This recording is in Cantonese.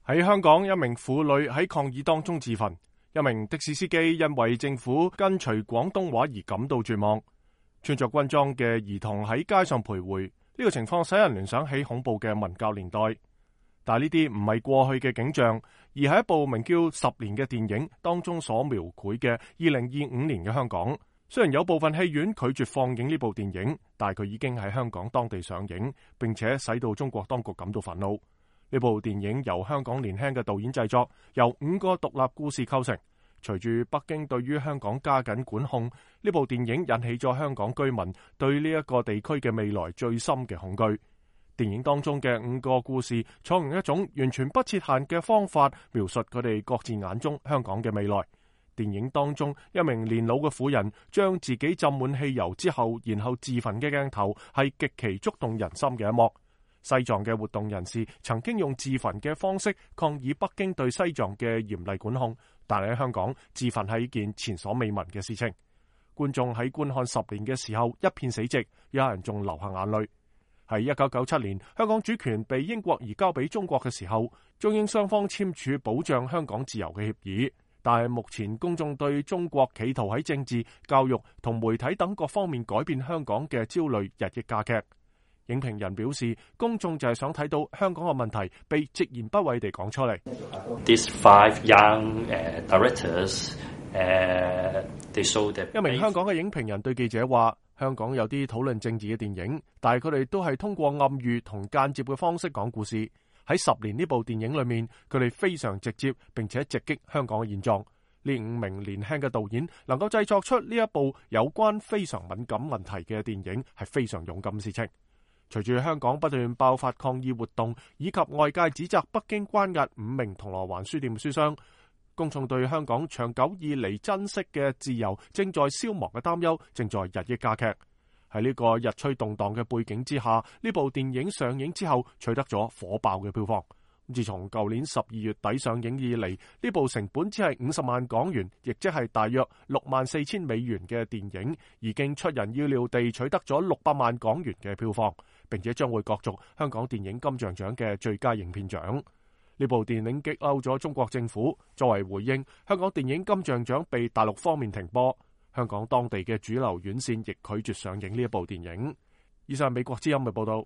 喺香港，一名婦女喺抗議當中自焚，一名的士司機因為政府跟隨廣東話而感到絕望。穿着軍裝嘅兒童喺街上徘徊，呢個情況使人聯想起恐怖嘅文教年代。但係呢啲唔係過去嘅景象，而係一部名叫《十年》嘅電影當中所描繪嘅2025年嘅香港。雖然有部分戲院拒絕放映呢部電影，但係佢已經喺香港當地上映，並且使到中國當局感到憤怒。呢部電影由香港年輕嘅導演製作，由5個獨立故事構成。隨住北京對於香港加緊管控，呢部電影引起咗香港居民對呢一個地區嘅未來最深嘅恐懼。電影當中嘅5個故事，採用一種完全不設限嘅方法描述佢哋各自眼中香港嘅未來。電影當中，一名年老嘅婦人將自己浸滿汽油之後，然後自焚嘅鏡頭係極其觸動人心嘅一幕。西藏嘅活動人士曾經用自焚嘅方式抗議北京對西藏嘅嚴厲管控，但係喺香港自焚係一件前所未聞嘅事情。觀眾喺觀看10年嘅時候一片死寂，有人仲流下眼淚。喺1997年，香港主權被英國移交俾中國嘅時候，中英雙方簽署保障香港自由嘅協議。但係目前公眾對中國企圖喺政治、教育同媒體等各方面改變香港嘅焦慮日益加劇。影評人表示，公眾就係想睇到香港嘅問題被直言不諱地講出嚟。These 5 young directors, they show that 一名香港嘅影評人對記者話，香港有啲討論政治嘅電影，但係佢哋都係通過暗喻同間接嘅方式講故事。喺10年呢部電影裏面，佢哋非常直接並且直擊香港嘅現狀。呢5名年輕嘅導演能夠製作出呢一部有關非常敏感問題嘅電影，係非常勇敢嘅事情。隨住香港不斷爆發抗議活動，以及外界指責北京關押5名銅鑼灣書店書商，公眾對香港長久以嚟珍惜嘅自由正在消亡嘅擔憂正在日益加劇。喺呢個日趨動盪嘅背景之下，呢部電影上映之後取得咗火爆嘅票房。自從舊年12月底上映以嚟，呢部成本只係50萬港元，亦即係大約64,000美元嘅電影，已經出人意料地取得咗600萬港元嘅票房，並且將會角逐香港電影金像獎嘅最佳影片獎。呢部電影激嬲咗中國政府，作為回應，香港電影金像獎被大陸方面停播。香港當地嘅主流院線亦拒絕上映呢一部電影。以上係美國之音嘅報道。